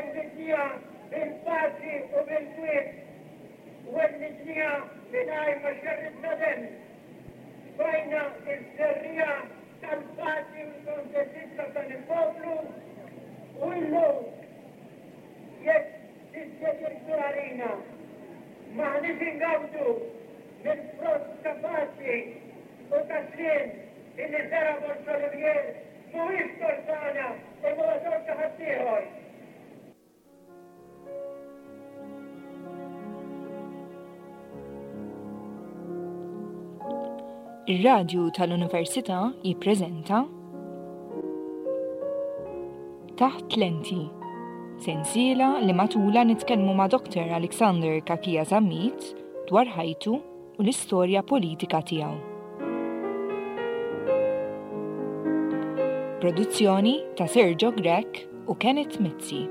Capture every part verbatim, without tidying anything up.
Wellidnieha bil-paċi u bil-kwiet. Wellidnieha mingħajr ma xerridna demm. Tfajna ż-żerriegħa tal-paċi u l-kontentizza f'dan il-poplu u illum jekk dispjaċir kbir għalina m'aħniex ingawdu mill-frott ta' paċi u ta' sliem illi żera' Borg Olivier mhuwiex tort tagħna imma huwa tort ta' ħaddieħor. Ir-Radju tal-Università jippreżenta Taħt Lenti, sensiela li matula nitkellmu ma' Dr. Alexander Cachia Zammit dwar ħajtu u l-istorja politika tiegħu. Produzzjoni ta' Sergio Grech u Kenneth Mizzi.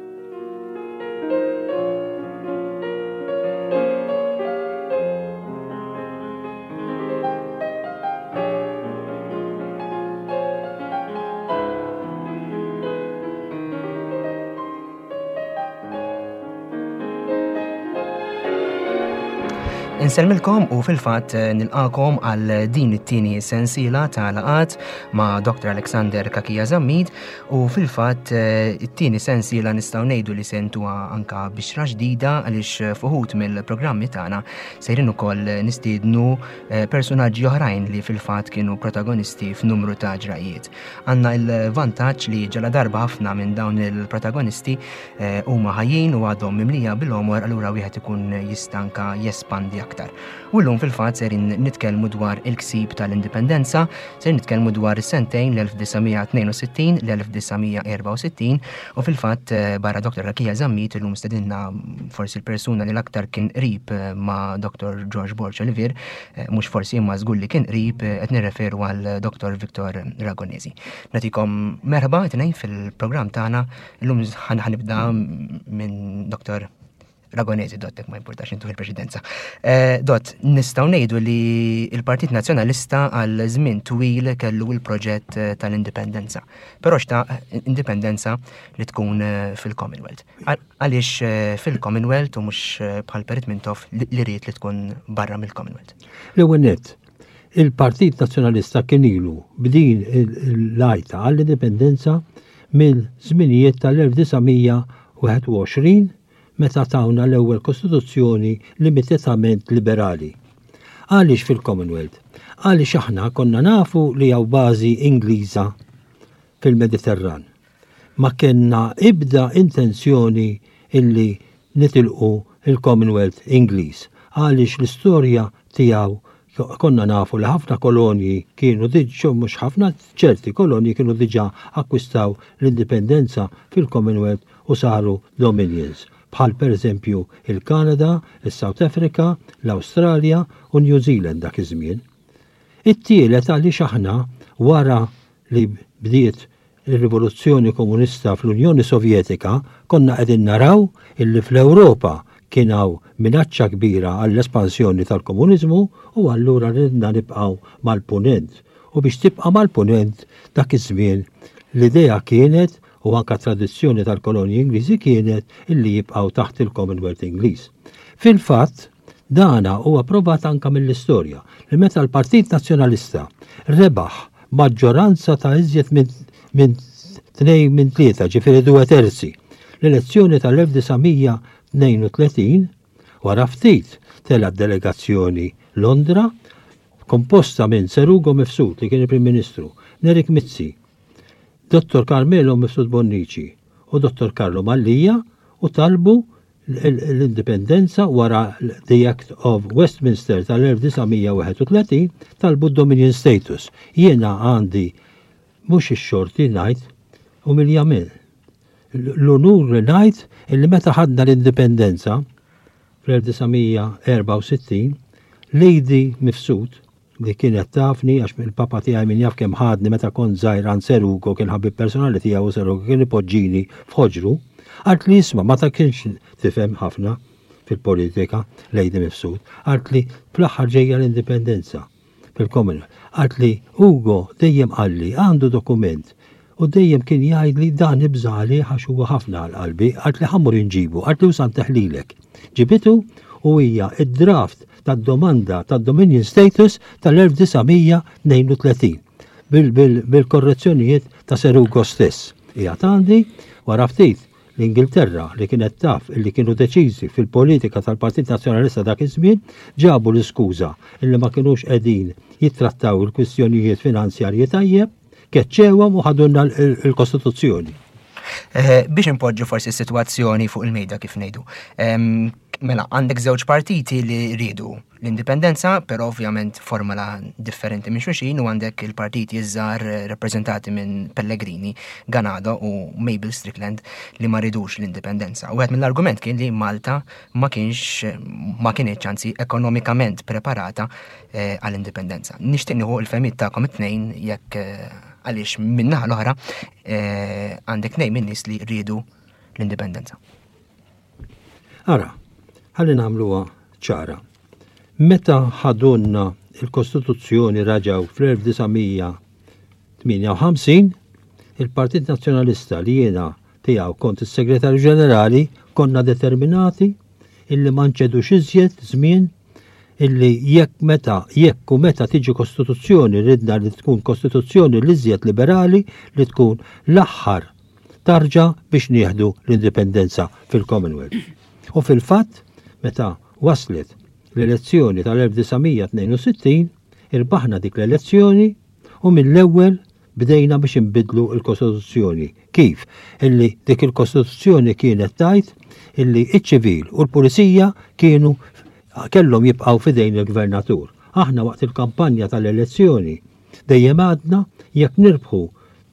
Insellmilkom u fil-fatt eh, nilqakom għal din it-tieni sensiela ta' laqat ma' Dr. Alexander Cachia Zammit u fil-fatt eh, it-tieni sensiela nistgħu ngħidu li sentuha anka bixra ġdida għaliex fuħut mill-programmi tagħna sejrin ukoll nistiednu eh, personaġġi oħrajn li fil-fatt kienu protagonisti f'numru ta' ġrajiet. Għandna il-vantaġġ li ġala darba ħafna minn dawn il-protagonisti huma ħajjin u għadhom mimlija bil-għomor, allura wieħed ikun jista' anka jespandi aktar. U llum fil-fatt serin nitkellmu dwar il-ksib tal-indipendenza, serin nitkellmu dwar is-sentejn l-elf disa' mija tnejn u sittin, l-elf disa' mija erba' u sittin, u fil-fatt, eh, barra Dr. Cachia Zammit illum stedinna forsi l-persuna li l-aktar kien qrib, eh, ma' Dr. George Borg Olivier, eh, mhux forsi imma żgur li kien qrib, eh, qed nirreferu għal Dr. Victor Ragonesi. Nagħtikom merħba tnejn fil-programm tagħna, illum ħan-, ħanibda minn Dr. Ragonesi, Dott, ma importax intu il-presidenza. Eh, Dott, nistgħu ngħidu li il-Partit Nazzjonalista għal żmien twil kellu il-proġett, eh, tal-indipendenza. Però xtaq indipendenza li tkun, eh, fil-Commonwealth. Għal-, għaliex, eh, fil-Commonwealth u mhux, eh, bħal Perit Mintoff li, li ried li tkun barra mill-Commonwealth. L-ewwel nett, il-Partit Nazzjonalista kien ilu b'din il-, il-lajta għall-indipendenza mill-żminijiet tal-elf disa' mija wieħed u għoxrin meta tawna l-ewwel kostituzzjoni limitatament liberali. Għaliex fil-Commonwealth? Għaliex aħna konna nafu li hawn bażi Ingliża fil-Mediterran. Ma kellna ibda intenzjoni illi nitilqu il-Commonwealth Ingliż. Għaliex l-istorja tiegħu konna nafu li ħafna kolonji kienu diġà, mhux ħafna, ċerti kolonji kienu diġà akkwistaw l-indipendenza fil-Commonwealth u saru dominions, bħal per eżempju il-Kanada, il-South Africa, l-Awstralja u New Zealand dak iż-żmien. It-tielet għaliex aħna wara li bdiet ir-rivoluzzjoni komunista fl-Unjoni Sovjetika konna qegħdin naraw illi fl-Ewropa kien hawn minaċċa kbira għall-espansjoni tal-komuniżmu u allura ridna nibqgħu mal-punent. U biex tibqa' mal-punent dak iż-żmien l-idea kienet u anka tradizzjoni tal-kolonji Ingliżi kienet illi jibqgħu taħt il-Commonwealth Ingliż. Fil-fatt, dana huwa provat anka mill-istorja li meta l-Partit Nazzjonalista rebaħ maġġoranza ta' iżjed minn, minn tnejn minn tlieta, ġifieri due terzi, l-elezzjoni tal-elf disa' mija tnejn u tletin, wara ftit tela delegazzjoni Londra, komposta minn Sir Ugo Mifsud li kien il-Prim Ministru, Nerik Mizzi, Dottor Carmelo Mifsud Bonnici u Dottor Carlo Mallia, u talbu l-, l-, l-indipendenza wara the Act of Westminster tal-elf disa' mija wieħed u tletin, talbu Dominion status. Jiena għandi mhux ix-xorti ngħid umiljament. L-unur li ngħid illi meta ħadna l-indipendenza fl-elf disa' mija erba' u sittin, Lady Mifsud, li kienet tafni għax il-papa tiegħi min jaf kemm ħadni meta kont żgħir għand Sir Ugo, kien ħabib personali tiegħu u Sir Ugo kien ipoġġini f'ħoġru, qalt li isma' ma ta' kienx tifhem ħafna fil-politika Lady Mifsud, qalt li fl-aħħar ġejja l-indipendenza fil-Commonwealth. Qalt li Ugo dejjem qalli għandu dokument U dejjem kien jgħidli dan ibżali għax huwa ħafna għal qalbi, qaltli ħa mmur inġibu, qaltli u sa ntih lilek. Ġibitu u hija id-draft tad-domanda tad-Dominion Status tal-elf disa' mija tnejn u tletin bil-korrezzjonijiet ta' Sir Ugo stess. Hija għandi. Wara ftit, l-Ingilterra, li kienet taf illi kienu deċiżi fil-politika tal-Partit Nazzjonalista dak iż-żmien, ġabu l-iskuża illi ma kienux qegħdin jittrattaw il-kwistjonijiet finanzjarji tajjeb, keċċewhom u ħadulna l-Kostituzzjoni. Eh, biex impoġġu forsi s-sitwazzjoni fuq il-mejda, kif ngħidu. Mela, għandek żewġ partiti li rridu l-indipendenza, però ovvjament formula differenti minn xulxin, u għandek il-partiti iż-żgħar rappreżentati minn Pellegrini, Ganado u Mabel Strickland li ma ridux l-indipendenza. U għed mill-argument kien li Malta ma kienx ma kienx anzi ekonomikament preparata eh, għall-indipendenza. Nixtieq nieħu l-fehmiet tagħkom it-tnejn jekk eh, għaliex min-naħa l-oħra eh, għandek tnejn minn nies li rridu l-indipendenza. Ara, ħalli nagħmluha ċara. Meta ħadulna il-Kostituzzjoni raġaw fl-elf disa' mija tmienja u ħamsin, il-Partit Nazzjonalista, li jiena tiegħu kont is-Segretarju Ġenerali, konna determinati illi ma nċedux iżjed żmien, illi jekk meta jekk u meta tiġi kostituzzjoni, ridna li tkun kostituzzjoni li iżjed liberali, li tkun l-aħħar tarġa biex nieħdu l-indipendenza fil-Commonwealth. U fil-fatt, meta waslet l-elezzjoni tal-elf disa' mija tnejn u sittin, irbaħna dik l-elezzjoni u mill-ewwel bdejna biex inbidlu l-Kostituzzjoni. Kif? Illi dik il-Kostituzzjoni kienet tgħid illi iċ-ċivil u l-pulizija kienu kellhom jibqgħu fidejn il-gvernatur. Aħna waqt il-kampanja tal-elezzjoni dejjem għadna jekk nirbħu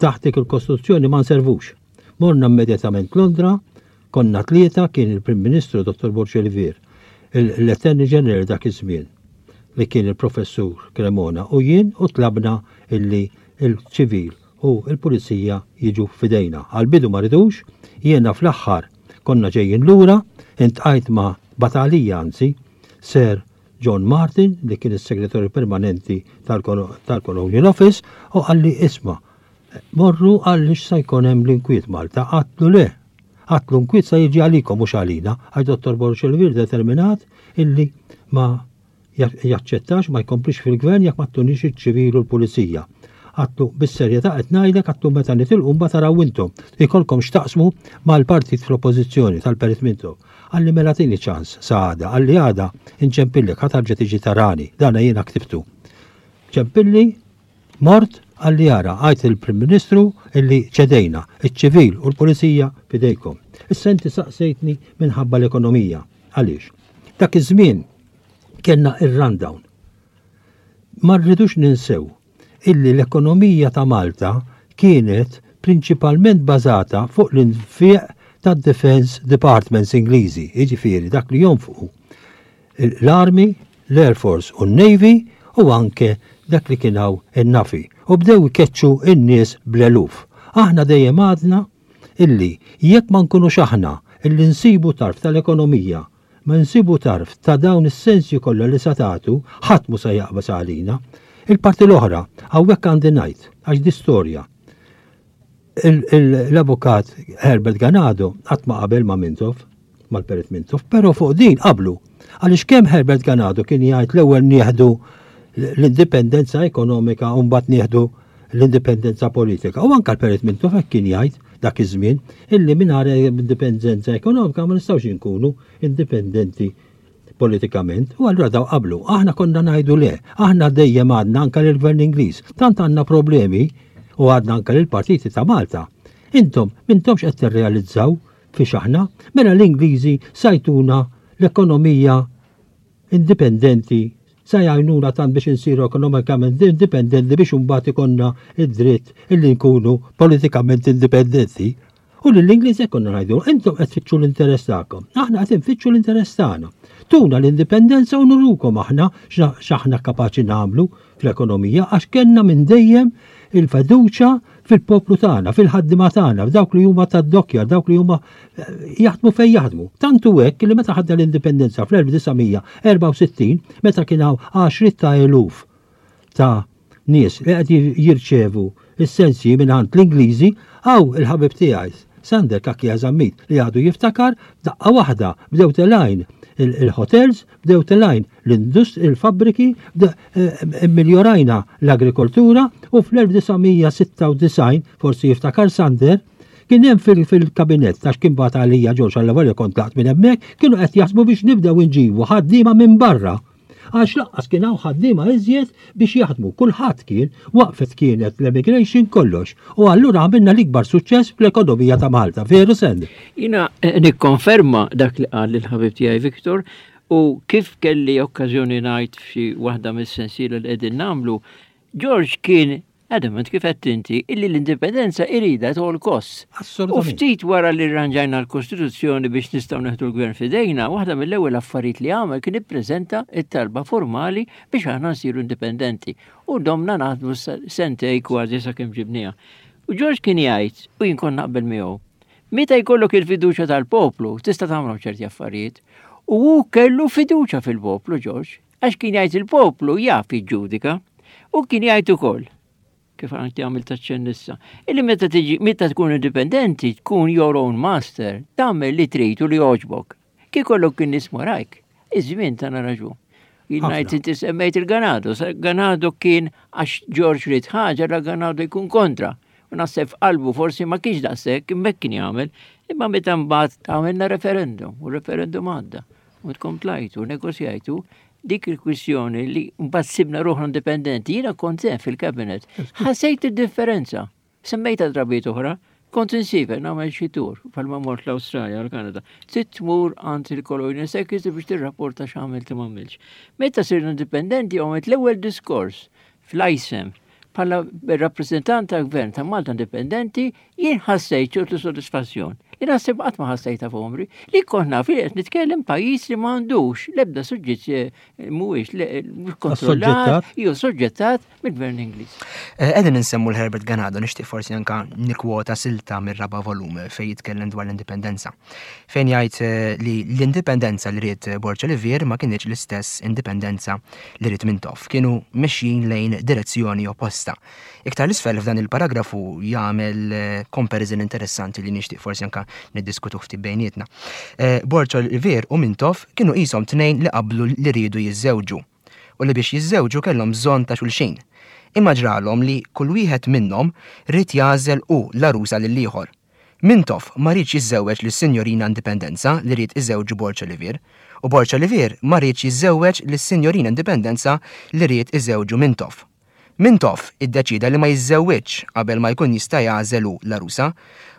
taħt dik il-Kostituzzjoni ma nservux. Morna immedjatament Londra, konna tlieta, kien il-Prim Ministru Dottor Borg Olivier, l-Attorney General dak iż-żmien li kien il-Professur Cremona u jien, u tlabna illi il-ċivil u il-pulizija jiġu fidejna. Għal-bidu ma ridux, jiena fl-aħħar konna ġejjin lura, iltqajt ma' batalija, anzi, Sir John Martin, li kien is-segretarju permanenti tal-Colonial Office, u qalli, "Isma', morru għaliex sa jkun hemm l-inkwiet Malta." Għedtlu, "Le." Għedtlu, "Nkwiet sa jiġi għalikom mhux għalina," għax Dottor Borg Olivier determinat illi ma jaċċettax, ma jkomplix fil-gvern jekk ma ttunix iċ-ċivil u l-pulizija. Għedtlu, "Bis-serjetà qed ngħidlek," għedtlu, "meta nitilqu mbagħad taraw intom. Ikolkom x'taqsmu mal-partit fl-oppożizzjoni tal-Perit Mintoff." Qalli, "Mela tini ċans sa għada." Qalli, "Għada inċempillek, ħa terġa' tiġi tarani." Dana jiena ktibtu. Ċempilli, mort, qalli, "Ara, għid il-Prim Ministru illi ċedejna, iċ-ċivil u l-pulizija fidejkom." Issa inti saqsejtni minħabba l-ekonomija. Għaliex? Dak iż-żmien kellna ir-rundown. Ma rridux ninsew illi l-ekonomija ta' Malta kienet prinċipalment bażata fuq l-infiq tad-Defense Departments Ingliżi, jiġifieri dak li jonfqu l-Army, l-Air Force u n-Navy u anke dak li kien hawn in-N A F I. U bdew ikeċċu n-nies bl-eluf. Aħna dejjem għadna illi jekk ma nkunux aħna illi nsibu tarf tal-ekonomija, ma nsibu tarf ta' dawn is-sensi kollha li satatu, ħadd mu se jaqbas għalina. Il-parti l-oħra, hawnhekk għandi ngħid, għax di storja. L-avukat Herbert Ganado qatt ma qabel ma' Mintoff, mal-Perit Mintoff, però fuq din qablu. Għaliex kemm Herbert Ganado kien jgħid l-ewwel nieħdu l-indipendenza ekonomika u mbagħad nieħdu l-indipendenza politika. U anka l-Perit Mintoff hekk kien jgħid dak iż-żmien, illi mingħajr indipendenza ekonomika ma nistgħux inkunu indipendenti politikament. U allura daw qablu. Aħna konna ngħidu le. Aħna dejjem għadna anka lill-Gvern Ingliż. Tant għandna problemi, u għadna anka lill-partiti ta' Malta. Intom, m'intomx qed tirrealizzaw fiex aħna, mela l-Ingliżi sa jtuna l-ekonomija indipendenti, sa jgħinuna tant biex insiru ekonomikament indipendenti biex imbagħad ikollna id-dritt illi nkunu politikament indipendenti. U l-Ingliż konna ngħidu, "Intom qed tfittxu l-interess tagħkom. Aħna qed nfittxu l-interess tagħna. Tuna l-indipendenza u nurukom aħna x'aħna kapaċi nagħmlu fl-ekonomija," għax kellna minn dejjem il-fiduċa fil-poplu tagħna, fil-ħaddiema tagħna, f'dawk li huma tad-dokkja, dawk li huma eh, jaħdmu fejn jaħdmu. Tantu hekk li meta ħadna l-indipendenza fl-elf disa' mija erbgħa u sittin, meta kien hawn għaxriet ta' eluf ta' nies li qed jirċevu is-sensji mingħand l-Ingliżi, hawn il-ħabib tiegħi Sander Cachia Zammit li għadu jiftakar, daqqa waħda bdew telgħin il-hotels, bdew telgħin l-indust, il-fabbriki, miljorajna l-agrikoltura u fl-elf disa' mija sitta u disgħin, forsi jiftakar Sander, kien hemm fil-kabinett, għax kien bagħat għalija Ġorġ għall kont tlaqt minn hemmhekk, kienu qed jaħsbu biex nibdew inġibu ħaddiema minn barra, għax lanqas kien hawn ħaddiema iżjed biex jaħdmu. Kulħadd kien waqfet, kienet l-emigration, kollox. U allura għamilna l-ikbar suċċess fl-ekonomija ta' Malta. Veru, Send? Jiena eh, nikkonferma dak li qal il-ħabib tiegħi Viktor u kif kelli okkażjoni ngħid f'xi waħda mis-sensiela li qegħdin nagħmlu, George kien adamant, kif qed inti, illi l-indipendenza iridha at all costs. U ftit wara li rranġajna l-Kostituzzjoni biex nistgħu neħdu l-gvern fidejna, waħda mill-ewwel affarijiet li għamel kien ippreżenta it-talba formali biex aħna nsiru indipendenti. U domna naħdmu sentejn kważi sakemm ġibniha. U George kien jgħid, u jien kont naqbel miegħu, meta jkollok il-fiduċja tal-poplu, tista' tagħmlu ċerti affarijiet. U hu kellu fiduċja fil-poplu, George, għax kien jgħid il-poplu jaf jiġġudika. U kien jgħid ukoll, kif għanti għamil taċċen issa, illi meta tiġi, meta tkun indipendenti, tkun your own master, tagħmel li trid u li jogħġbok. Kif kollok kien nies warajk, iż-żmien tana raġun. Jien ngħid, inti semmejt il-Ganado, Ganado kien, għax George ried ħaġa, la Ganado jkun kontra. U naħseb f'qalbu forsi ma kienx daqshekk, imma kien jagħmel, imma meta mbagħad għamilna referendum, u referendum għadda. U tkom tlajtu, negozjajtu, dik il-kwistjoni li mbagħad sibna ruħna indipendenti, jiena kont hemm fil-kabinet. Ħassejt id-differenza. Semmejta drabiet oħra, kont insiefer nagħmel xi tour bħalma mort l-Awstralja u l-Kanada. Trid tmur għand il-Colonial Secretary biex tirrapporta x'għamilt u m'għamilx. Meta sirna indipendenti, għamilt l-ewwel diskors fl-I S E M bħala rappresentant tal-gvern ta' Malta Indipendenti, jien ħassejt ċertu sodisfazzjon li naħseb qatt ma ħassejta f'għomri, li kont naf li qed nitkellem pajjiż li m'għandux l-ebda suġġett, eh, mhuwiex kontrollat jew soġġettat mill-gvern Ingliż. Eh, qegħdin insemmu l-Herbert Ganado, nixtieq forsi anka nikwota silta mir-raba' volum fejn jitkellem dwar l-indipendenza. Fejn jgħid eh, li l-indipendenza li ried Borg Olivier ma kienx l-istess indipendenza li ried Mintoff. Kienu mexjin lejn direzzjoni opposta. Iktar 'l isfel f'dan il-paragrafu jagħmel comparison interessanti li nixtieq forsi anka niddiskutu ftit bejnietna. Eh, Borg Olivier u Mintoff kienu qishom tnejn li qablu li riedu jiżżewġu u li biex jiżżewġu kellhom bżonn ta' xulxin. Imma ġralhom li kull wieħed minnhom ried jagħżel hu l-għarusa lill-ieħor. Mintoff ma riedx jiżżewweġ lis-Sinjorina Indipendenza li ried iżewġu Borg Olivier, u Borg Olivier ma riedx jiżżewweġ lis-Sinjorina Indipendenza li ried iżewġu Mintoff. Mintoff iddeċida li ma jiżżewwiġ qabel ma jkun jista' jagħżel hu l-għarusa.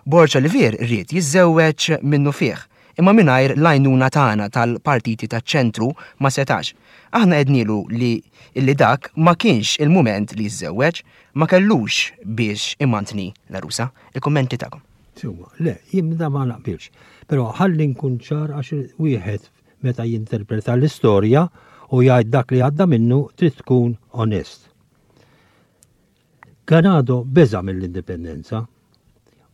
Borg Olivier ried jiżżewweġ minnufih, imma mingħajr l-għajnuna tagħna tal-partiti taċ-ċentru ma setax. Aħna għednilu li illi dak ma kienx il-mument li jiżżewweġ, ma kellux biex imantni l-għarusa. Il-kummenti tagħkom. Sewwa, le, jien da ma naqbilx. Però ħalli nkun ċar, għax wieħed meta jinterpreta l-istorja u jgħid dak li għadda minnu trid tkun onest. Ganado beża mill-indipendenza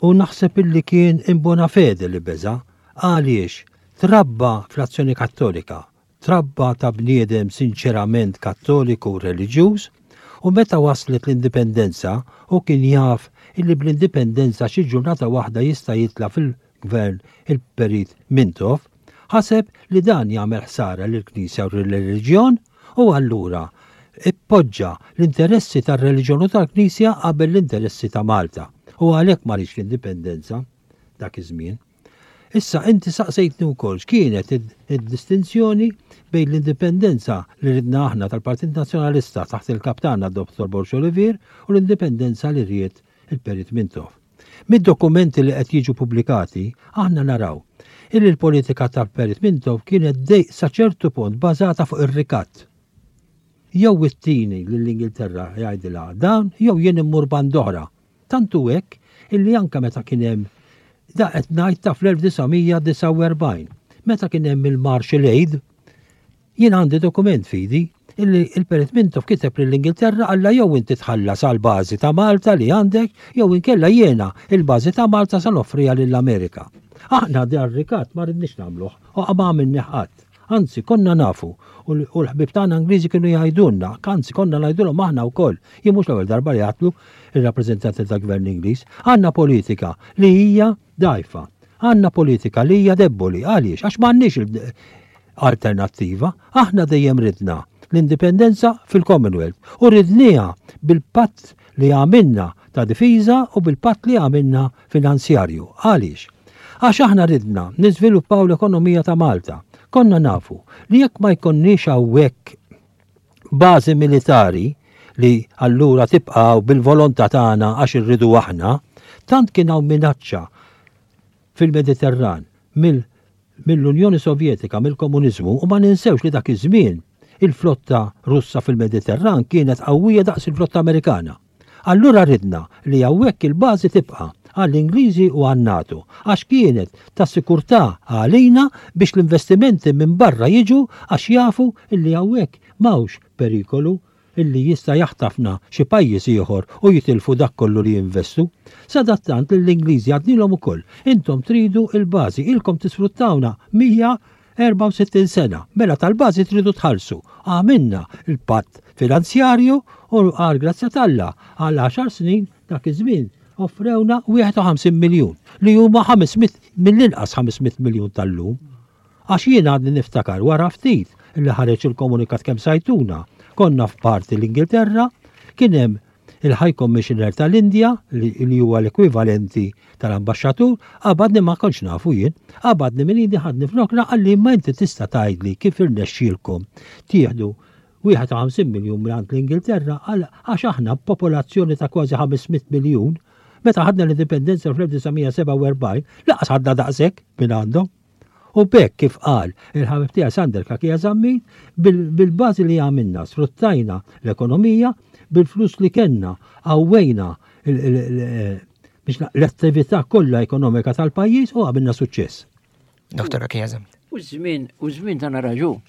u naħseb illi kien in bona fede li beża, għaliex trabba fl-Azzjoni Kattolika, trabba ta' bniedem sinċerament kattoliku u reliġjuż, u meta waslet l-indipendenza u kien jaf illi bl-indipendenza xi ġurnata waħda jista' jitla' fil-gvern il-Perit Mintoff, ħaseb li dan jagħmel ħsara lill-Knisja u l-reliġjon u allura ippoġġa l-interessi tar-reliġjon u tal-Knisja qabel l-interessi ta' Malta. U għalhekk ma riedx l-indipendenza dak iż-żmien. Issa inti saqsejtni wkoll x'kienet id-distinzjoni bejn l-indipendenza li ridna aħna tal-Partit Nazzjonalista taħt il-kaptana Dottor Borg Olivier u l-indipendenza li ried il-Perit Mintoff. Mid-dokumenti li qed jiġu pubblikati, aħna naraw illi l-politika tal-Perit Mintoff kienet dej sa ċertu punt bażata fuq ir-rikatt. Jew ittini lill-Ingilterra jgħidilha dan, jew jien immur band'oħra. Tantu hekk illi anka meta kien hemm, da qed ngħid ta' fl-elf disa' mija disgħa u erbgħin, meta kien hemm il-Marshall Aid, jien għandi dokument f'idi illi il-Perit Mintoff kiteb lill-Ingilterra, għalla jew inti tħallas għal bażi ta' Malta li għandek, jew inkella jiena il-bażi ta' Malta sa noffriha lill-Amerika. Aħna dar rikatt ma ridniex nagħmluh u ma għamilni ħadd. Anzi, konna nafu u l-ħbieb tagħna Ingliżi kienu jgħidulna, anzi konna ngħidulhom aħna wkoll. Jien mhux l-ewwel darba li għedtlu ir-rappreżentanti tal-Gvern Ingliż, għandna politika li hija dgħajfa, għandna politika li hija debboli. Għaliex? Għax m'għandniex alternattiva. Aħna dejjem ridna l-indipendenza fil-Commonwealth u ridniha bil-patt li għamilna ta' difiża u bil-patt li għamilna finanzjarju. Għaliex? Għax aħna ridna niżviluppaw l-ekonomija ta' Malta. Konna nafu li jekk ma jkonniex hawnhekk bażi militari li allura tibqaw bil-volontà tagħna għax irridu aħna, tant kien hawn minaċċa fil-Mediterran mill-Unjoni Sovjetika, mill-Komuniżmu, u ma ninsewx li dak iż-żmien il-flotta Russa fil-Mediterran kienet qawwija daqs il-flotta Amerikana. Allura ridna li hawnhekk il-bażi tibqa' għall-Ingliżi u għan-NATO, għax kienet ta' sikurtà għalina biex l-investimenti minn barra jiġu għax jafu illi hawnhekk m'hawnx perikolu illi jista' jaħtafna xi pajjiż ieħor u jitilfu dak kollu li jinvestu. Sadattant lill-Ingliżi għednielhom ukoll, intom tridu il-bażi, ilkom tisfruttawna mija erbgħa u sittin sena, mela tal-bażi tridu tħallsu. Għamilna il-patt finanzjarju u għal grazzja t'Alla għal għaxar snin dak iż-żmien offrewna wieħed u ħamsin miljun li huma ħames mitt, mill-inqas ħames mitt miljun tal-lum. Għax jien għadni niftakar wara ftit li ħareġ il-komunikat kemm sajtuna. Konna f'parti l-Ingilterra, kien hemm il-High Commissioner tal-Indja li, li huwa l-ekwivalenti tal-ambaxxatur, qabadni ma kontx nafu jien, qabadni minn Indja ħadni f'rokna qalli ma inti tista' tgħidli kif irnexxielkom tieħdu wieħed u ħamsin miljun minn l-Ingilterra għax aħna popolazzjoni ta' kważi ħames mitt miljun, meta ħadna l-indipendenza fl-elf disa' mija sebgħa u erbgħin, laqas ħadna daqshekk minn għandhom. U bekk kif qal il-ħabib tiegħi Sander Cachia Zammit, bil-, bil-bażi li għamilna, sfruttajna l-ekonomija, bil-flus li kellna, qawwejna il-, il-, il-, biex na-, l-attività kollha ekonomika tal-pajjiż u għamilna suċċess. Doktor Cachia Zammit. U żmien, u żmien tagħna raġun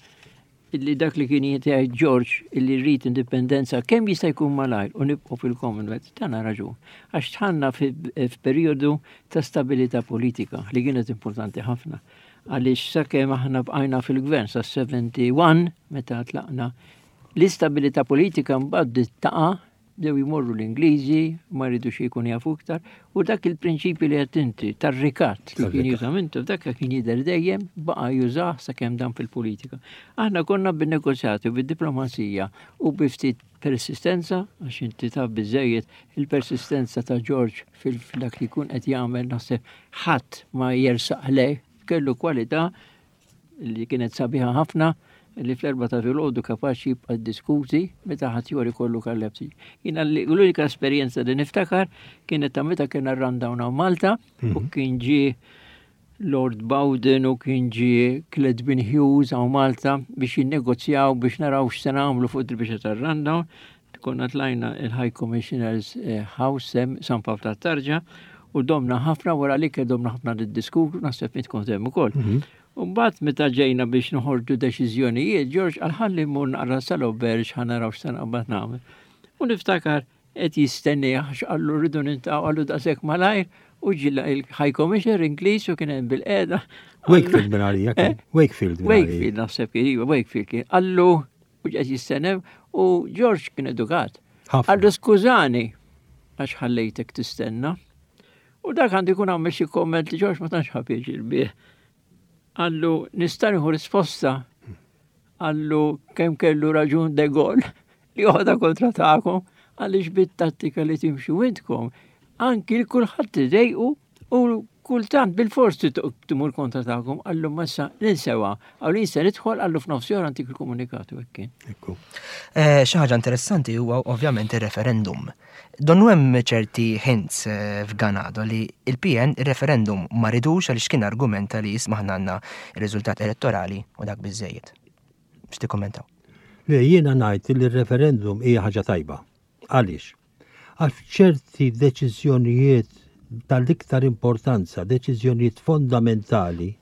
illi dak li kien jgħid George illi rrid indipendenza kemm jista' jkun malajr u nibqgħu fil-Commonwealth, tagħna raġun. Għax tħanna fi-, f'perjodu ta' stabilità politika li kienet importanti ħafna. Għaliex sakemm aħna bqajna fil-gvern sa seventy-one meta tlaqna, l-istabilità politika mbagħad bdiet taqa', bdew jmorru l-Ingliżi, ma rridux jkun jafu iktar, u dak il-prinċipju li qed inti tar-rikat li kien Tar-rikat. juża mintu, dak kien jidher dejjem baqa' jużah sakemm dan fil-politika. Aħna konna bin-negozjati u bid-diplomazija u bi ftit persistenza, għax inti taf biżejjed il-persistenza ta' George fil-dak li jkun qed jagħmel naħseb ħadd ma jersaq lej, kellu kwalità li kienet sabiħa ħafna li fl-erba ta' filgħodu kapaċi jibqa' diskuti meta ħadd jori kollu kallepsi. Jiena li l-unika esperjenza li niftakar kienet ta' meta kien rundown hawn Malta u Mhm. kien ġie Lord Bowden u kien ġie Cledwyn Hughes hawn Malta biex jinnegozjaw biex naraw x'se nagħmlu fuq il-biċċa tar-rundown. Konna tlajna il-High Commissioner's, eh, House sem San Pawl tat-Tarġa u domna ħafna wara li kien domna ħafna niddiskutu, naħseb int kont hemm ukoll. Mhm. U mbagħad meta ġejna biex noħorġu deċiżjonijiet, George qal ħalli mmur naqra sal-Oberġ ħa naraw x'se naqbad nagħmel. U niftakar qed jistenni għax qallu rridu nintaqgħu qallu daqshekk malajr u ġilla il-High Commissioner Ingliż u kien hemm bil-qiegħda. Wakefield minn għalija kien. Eh? Wakefield minn għalija. Wakefield naħseb kien, iva, Wakefield kien. Qallu u qed jistennew u George kien edukat. Ħafna. Qallu skużani għax ħallejtek tistenna. U dak għandu jkun għamel xi komment li George ma tantx ħa pjaċir bih. Qallu nista' nieħu risposta. Qallu kemm kellu raġun De Gaulle li joħodha kontra tagħkom għaliex bit-tattika li timxu intkom. Anki l kulħadd idejqu u kultant bil-fors timur kontra tagħkom. Qallu massa ninsewa. Qallu jinsa nidħol, qallu f'nofs ora antik il-komunikatu hekk kien. Ekku. Eh, xi ħaġa interessanti huwa ovvjament ir-referendum. Donnu hemm ċerti hints, eh, f'Ganado li il-P N ir-referendum ma ridux għaliex kien argumenta li jisma' aħna għandna ir-riżultat elettorali u dak biżejjed. X'tikkommentaw? Le, jiena ngħid li r-referendum hija ħaġa tajba. Għaliex? Għax ċerti deċiżjonijiet tal-iktar importanza, deċiżjonijiet fondamentali,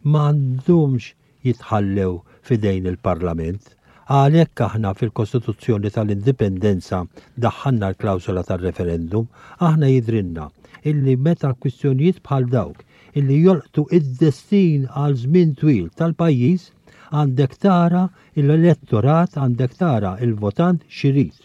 ma għandhomx jitħallew fidejn il-Parlament. Għalhekk aħna fil-Kostituzzjoni tal-Indipendenza daħħalna l-klawsola tal-referendum, aħna jidrinna illi meta kwistjonijiet bħal dawk illi jolqtu id-destin għal żmien twil tal-pajjiż Għandek tara l-elettorat, għandek tara il-votant x'irid.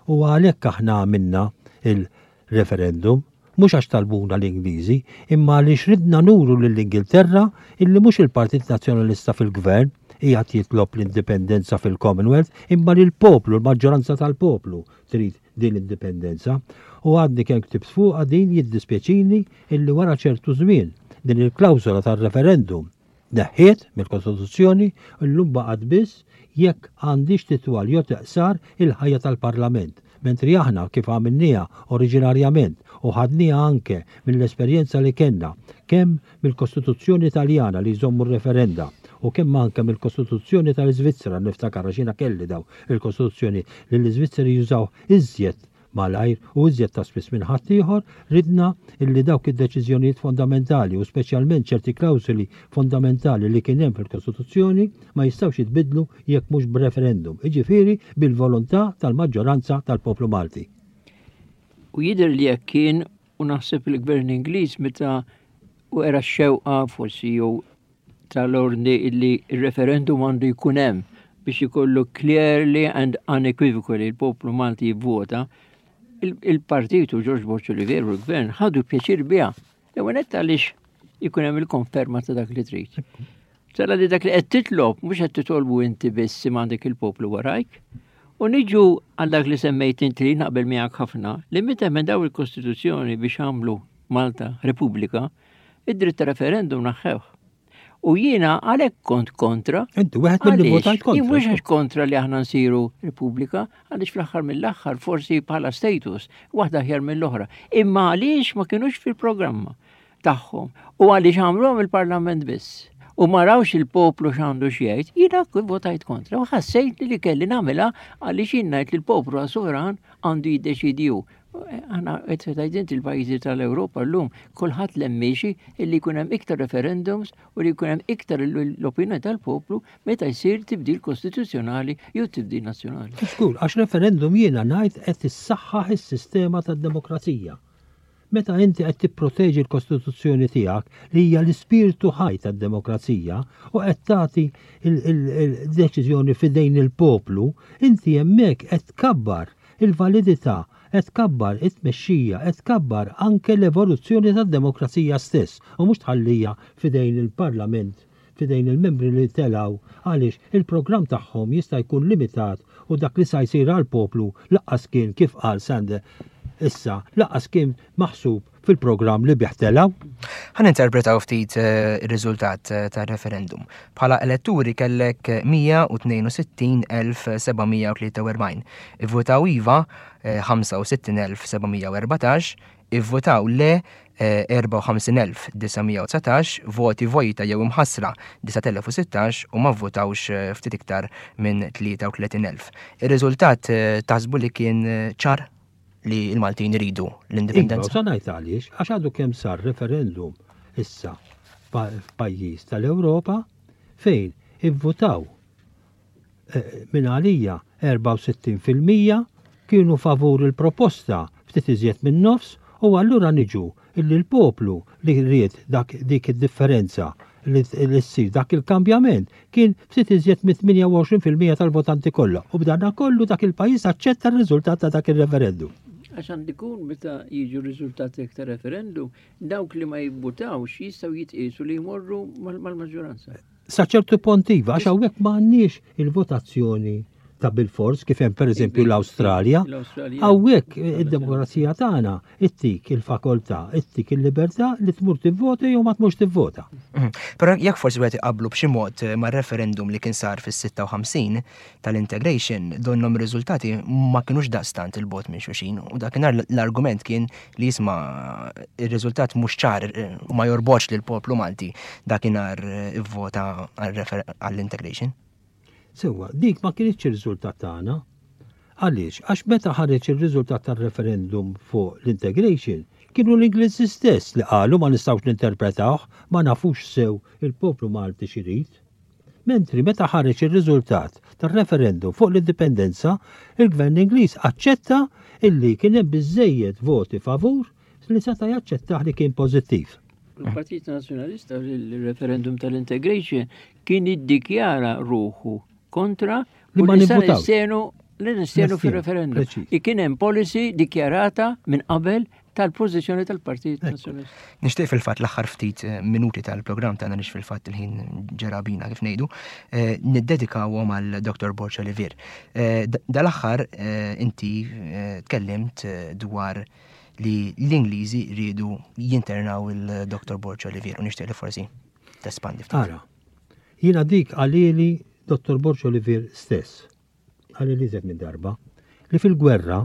U għalhekk aħna għamilna il-referendum, mhux għax talbuna l-Ingliżi, imma għaliex ridna nuru lill-Ingilterra illi mhux il-Partit Nazzjonalista fil-Gvern qiegħed jitlob l-indipendenza fil-Commonwealth, imma li l-poplu, l-maġġoranza tal-poplu trid din l-indipendenza. U għadni kemm ktibt fuqha din, jiddispjaċini illi wara ċertu żmien din il-klawsola tar-referendum tneħħiet mill-Kostituzzjoni u llum baqgħet biss jekk għandix titwal jew teqsar il-ħajja tal-Parlament. Mentri aħna, kif għamilniha oriġinarjament u ħadniha anke mill-esperjenza li kellna kemm mill-Kostituzzjoni Taljana li jżommu r-referenda u kemm anke mill-Kostituzzjoni tal-Iżvizzera, niftakar għax jiena kelli daw il-Kostituzzjoni, li l-Iżvizzeri jużaw iżjed malajr u iżjed ta' spiss minn ħaddieħor, ridna illi dawk id-deċiżjonijiet fondamentali u speċjalment ċerti klawsoli fondamentali li kien hemm fil-Kostituzzjoni ma jistgħux jitbidlu jekk mhux b'referendum, jiġifieri bil-volontà tal-maġġoranza tal-poplu Malti. U jidher li jekk kien, u naħseb il-gvern Ingliż meta u era x-xewqa forsi jew tal-ordni illi il-referendum għandu jkun hemm biex ikollu clearly and unequivocally il-poplu Malti jivvota, il-partitu George Borg Olivier u l-gvern ħadu pjaċir biha. L-ewwel nett għaliex ikun hemm il-konferma ta' dak li trid. Tara li dak li qed titlob mhux qed titolbu inti biss imma għandek il-poplu warajk. U niġu għal dak li semmejt inti, li naqbel miegħek ħafna, li meta emendaw il-Kostituzzjoni biex għamlu Malta Repubblika, id-dritt ta' referendum neħħewh. U jiena għalhekk kont kontra. Inti wieħed mill-li Għaliex? votajt kontra. Jien mhux għax kontra li aħna nsiru Repubblika, għaliex fl-aħħar mill-aħħar forsi bħala status waħda aħjar mill-oħra. Imma għaliex ma kienux fil-programma tagħhom u għaliex għamluhom il-Parlament biss u ma rawx il-poplu x'għandu x'jgħid, jiena votajt kontra u ħassejt li kelli nagħmilha għaliex jien ngħid li l-poplu għas sovran għandu jiddeċidi hu. Aħna qed tgħid inti, il-pajjiżi tal-Ewropa llum kulħadd miexi illi jkun hemm iktar referendums u li jkun hemm iktar l-opinjoni tal-poplu meta jsir tibdil kostituzzjonali jew tibdil nazzjonali. Żgur, għax referendum jiena ngħid qed issaħħaħ is-sistema tad-demokrazija. Meta inti qed tipproteġi l-Kostituzzjoni tiegħek, li hija l-ispirtu ħaj tad-demokrazija, u qed tagħti il-deċiżjoni f'idejn il-poplu, inti hemmhekk qed tkabbar il-validità, qed tkabbar it-tmexxija, qed tkabbar anke l-evoluzzjoni tad-demokrazija stess u mhux tħallija f'idejn il-Parlament, f'idejn il-membri li telaw, għaliex il-programm tagħhom jista' jkun limitat u dak li sa jsir għal-poplu lanqas kien, kif qal Sander issa, lanqas kien maħsub fil-programm li bih telaw. Ħa ninterpretaw ftit eh, ir-riżultat eh, tar-referendum. Bħala eletturi kellek mija u tnejn u sittin elf seba' mija u tlieta u erbgħin. Ivvutaw iva eh, ħamsa u sittin elf seba' mija u erbatax, ivvutaw le eh, erbgħa u ħamsin elf disa' mija u dsatax, voti vojta jew imħassra disat elef u sittax u ma vvotawx eh, ftit iktar minn tlieta u tletin elf. Ir-riżultat eh, taħsbu li kien eh, ċar li l-Maltin iridu Iva, l-indipendenza? sa ngħid għaliex, għax għadu kemm sar referendum issa pa- f'pajjiż tal-Ewropa fejn ivvutaw eh, minn għalija erbgħa u sittin fil-mija kienu favur il-proposta, ftit iżjed minn nofs, u allura niġu illi l-poplu li ried dak dik id-differenza li li ssir dak il-kambjament kien ftit iżjed minn tmienja u għoxrin fil-mija tal-votanti kollha, u b'dana kollu dak il-pajjiż aċċetta r-riżultat ta' dak il-referendum. Għax għandu jkun meta jiġu riżultati ta' referendum, dawk li ma jivvutawx jistgħu jitqiesu li jmorru mal- mal-maġġoranza. Sa ċertu punt iva, għax hawnhekk ma għandniex il-votazzjoni ta' bil-fors kif hemm pereżempju l-Awstralja. L-Awstralja. Hawnhekk id-demokrazija tagħna ittik il-fakoltà, ittik il-libertà li tmur tivvota jew ma tmurx tivvota. Mhm. Però jekk forsi wieħed iqablu b'xi mod eh, mar-referendum li kien sar fis-sitta u ħamsin tal-integration, donnhom ir-riżultati ma kinux daqstant 'il bogħod minn xulxin u dakinhar l-argument kien li jisma' ir-riżultat mhux ċar eh, u ma jorbotx lil poplu Malti dakinhar eh, ivvota għall-integration. Sewwa, dik ma kienx ir-riżultat tagħna. Għaliex? Għax meta ħareġ ir-riżultat tar-referendum fuq l-integration, kienu l-Ingliżi stess li qalu ma nistgħux ninterpretawh, ma nafux sew il-poplu Malti x'irid. Mentri meta ħareġ ir-riżultat tar-referendum fuq l-indipendenza, il-Gvern Ingliż aċċetta illi kien hemm biżejjed voti favur li seta' jaċċettah li kien pożittiv. Il-Partit Nazzjonalista fil-referendum tal-integration kien iddikjara ruħu kontra Li u ma li sa nivvutawx. nistenu li nistenu Nastenu, fil-referendum. preċiż. I kien hemm policy dikjarata minn qabel tal-pożizzjoni tal-Partit Nazzjonalista. Nixtieq fil-fatt l-aħħar ftit eh, minuti tal-programm tagħna nix fil-fatt il-ħin ġera bina kif ngħidu, eh, niddedikawhom għal Dr. Borg Olivier. Eh, d- Dal-aħħar eh, inti eh, tkellimt eh, dwar li l-Ingliżi rridu jinternaw il-Dr. Borg Olivier u nixtieq li forsi tespandi ftit. Ara, jiena dik qalhieli Dr. Borg Olivier stess, qalhieli iżjed minn darba, li fil-gwerra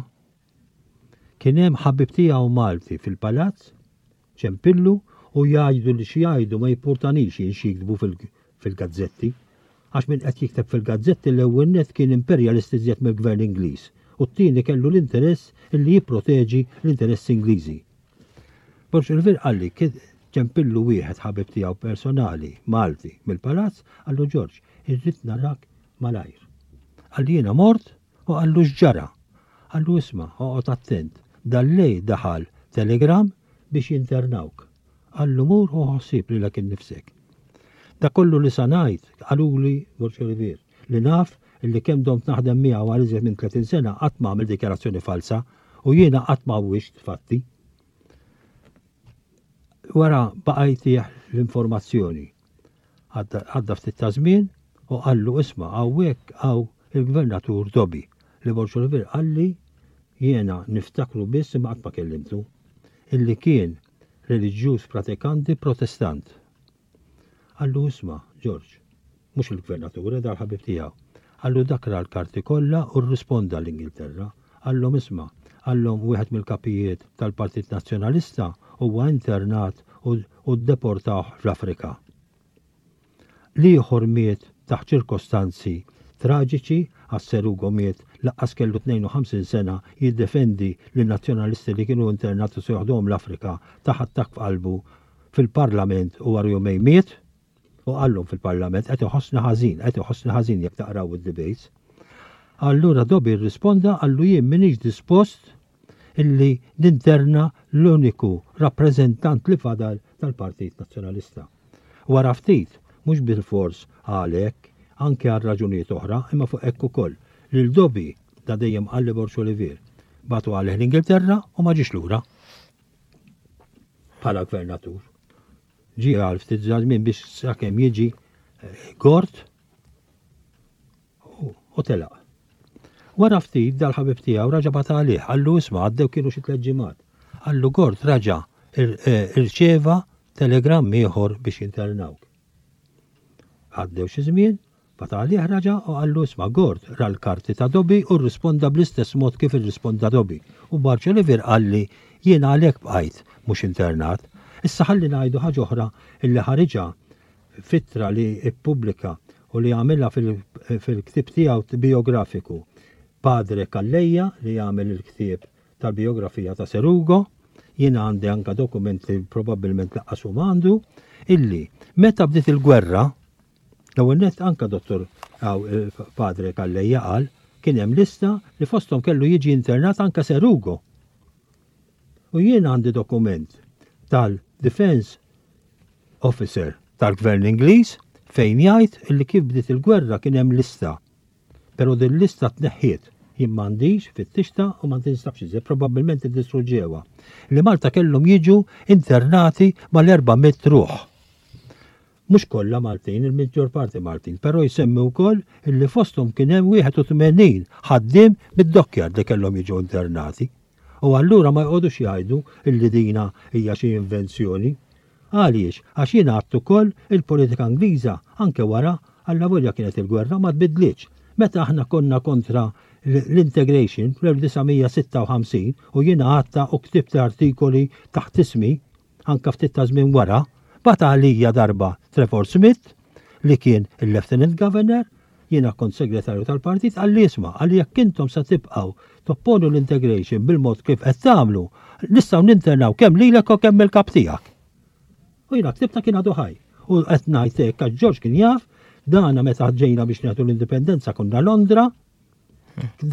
kien hemm ħabib tiegħu Malti fil-palazz, ċempillu u jgħidu li xi jgħidu ma jimpurtanix jien xi jiktbu fil- fil-gazzetti. Għax min qed jikteb fil-gazzetti l-ewwel net kien imperjalisti iżjed mill-gvern Ingliż u t-tieni kellu l-interess illi jipproteġi l-interess Ingliżi. Borg Olivier qalli kien ċempillu wieħed ħabib tiegħu personali Malti mill-palazz, qallu Ġorġ, irrid narak malajr. Qalli jiena mort u qallu x'ġara. Qallu isma' oqgħod attent, dal-lejl daħal telegram biex jinternawk. Qallu mur u ħossib lilek innifsek. Da kollu li sa ngħid qaluli Borg Olivier li naf illi kemm domt naħdem miegħu għal iżjed minn tletin sena qatt ma għamel dikjarazzjoni falsa u jiena qatt ma għawwiġt fatti. Wara baqa' jtih l-informazzjoni. Għadda għadda ftit ta' żmien u qallu isma' hawnhekk hawn il-gvernatur Dobbie li Borg Olivier qalli jiena niftakru biss imma qatt ma kellimtu illi kien reliġjuż pratikanti protestant. Qallu isma' George, mhux il-gvernatur, dal-ħabib tiegħu. Qallu dak ra l-karti kollha u rrisponda l-Ingilterra. Qallhom isma', qallhom wieħed mill-kapijiet tal-Partit Nazzjonalista huwa internat u, u ddeportawh fl-Afrika. L-ieħor miet taħt ċirkostanzi traġiċi għax Sir Ugo miet lanqas kellu tnejn u ħamsin sena jiddefendi lin-nazzjonalisti li kienu internati se joħduhom l-Afrika taħt attakk f'qalbu fil-Parlament u wara jumejn miet u qallhom fil-Parlament qed iħossni ħażin, qed iħossni ħażin jekk taqraw id-debates. Allura Dobbie rrisponda qallu jien m'iniex dispost illi ninterna l-uniku rappreżentant li fadal tal-Partit Nazzjonalista. Wara ftit, mhux bil-fors għalhekk, anke għal raġunijiet oħra, imma fuq hekk ukoll. Lil Dobbie da dejjem qalli Borg Olivier. Bagħtu għalih l-Ingilterra u ma ġiex lura. Bħala gvernatur. Ġie għal ftit żmien biex sakemm jiġi eh, Gort u u telaq. Wara ftit dal-ħabib tiegħu raġa' bagħat għalih, qallu isma' għaddew kienu xi tliet ġimgħat. Qallu Gort raġa' ir- eh, irċeva telegram ieħor biex jinternawk. Għaddew xi żmien, bagħat għalih raġa' u qallu isma' Gort ra l-karti ta' Dobbie u rrisponda bl-istess mod kif irrisponda Dobbie. U Borg Olivier qalli jiena għalhekk bqajt mhux internat. Issa ħalli ngħidu ħaġa oħra illi ħariġha f'ittra li ippubblika u li għamilha fil- fil-ktib tiegħu biografiku. Padre Calleja li għamel il-ktieb tal-biografija ta' Sir Ugo, jiena għandi anka dokumenti probabbilment lanqas hu għandu, illi meta bdiet il-gwerra, l-ewwel nett anka dottor aw, eh, Padre Calleja qal kien hemm lista li fosthom kellu jiġi internat anka Sir Ugo. U jiena għandi dokument tal-Defense Officer tal-Gvern Ingliż fejn jgħid illi kif bdiet il-gwerra kien hemm lista. Però din lista tneħħiet. Jien m'għandix fittixtha u ma tinstabx iżjed, probabbilment iddistruġġewha. Li Malta kellhom jiġu internati mal-erba' mitt ruħ. Mhux kollha Maltin, il-maġġor parti Maltin, però jsemmi wkoll illi fosthom kien hemm wieħed u tmenin ħaddiem mid-dockyard li kellhom jiġu internati. U allura ma jqogħdux jgħidu illi dina hija xi invenzjoni. Għaliex? Għax jiena għedt ukoll il-politika Ingliża anke wara allavolja kienet il-gwerra ma tbidlitx. Meta aħna konna kontra l-integration fl-elf disa' mija sitta u ħamsin u jiena għedtha u ktibt artikoli taħt ismi anka ftit ta' żmien wara, bagħat għalija darba Trevor Smith li kien il-Lieutenant Governor, jiena kont segretarju tal-partit, qalli isma', qalli jekk intom sa tibqgħu topponu l-integration bil-mod kif qed tagħmlu, nistgħu ninternaw kemm lilek u kemm il-kap tiegħek. U jiena ktibta kien għadu ħaj. U qed ngħid hekk għax George kien jaf, dana meta ġejna biex nagħtu l-indipendenza konna Londra,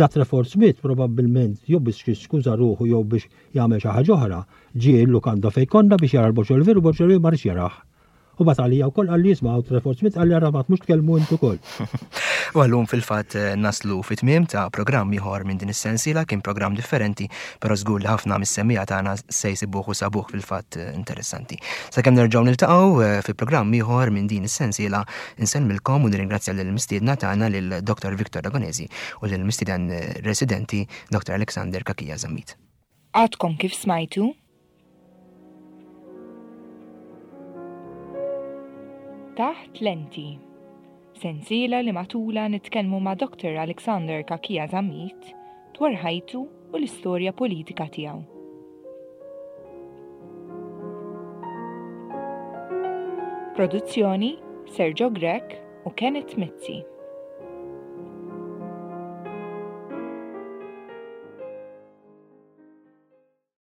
Da Trefort Smith probabbilment jew biex jiskuża ruħu jew biex jagħmel xi ħaġa oħra, ġie l-lukanda fejn konna biex jara l-Borġ Olivier u Borġ Olivier ma rridx jarah. U bagħat għalija wkoll qalli isma' hawn Trefort Smith qalli ara ma tmux tkellmu int ukoll. U għallum fil-fatt eh, naslu fit-tmiem ta' programm ieħor minn din is-sensiela, kien programm differenti, però żgur li ħafna mis-semmiegħa tagħna se jsibuh u sabuh fil-fatt eh, interessanti. Sakemm nerġgħu niltaqgħu eh, fi programm ieħor minn din is-sensiela, insellmilkom u nirringrazzja lill-mistiedna tagħna lil Dr. Victor Ragonesi u lil mistieden residenti Dr. Alexander Cachia Zammit. Għadkom kif smajtu? Taħt Lenti. Sensiela li matula nitkellmu ma' Dr. Alexander Cachia Zammit dwar ħajtu u l-istorja politika tiegħu. Produzzjoni Sergio Grech u Kenneth Mizzi.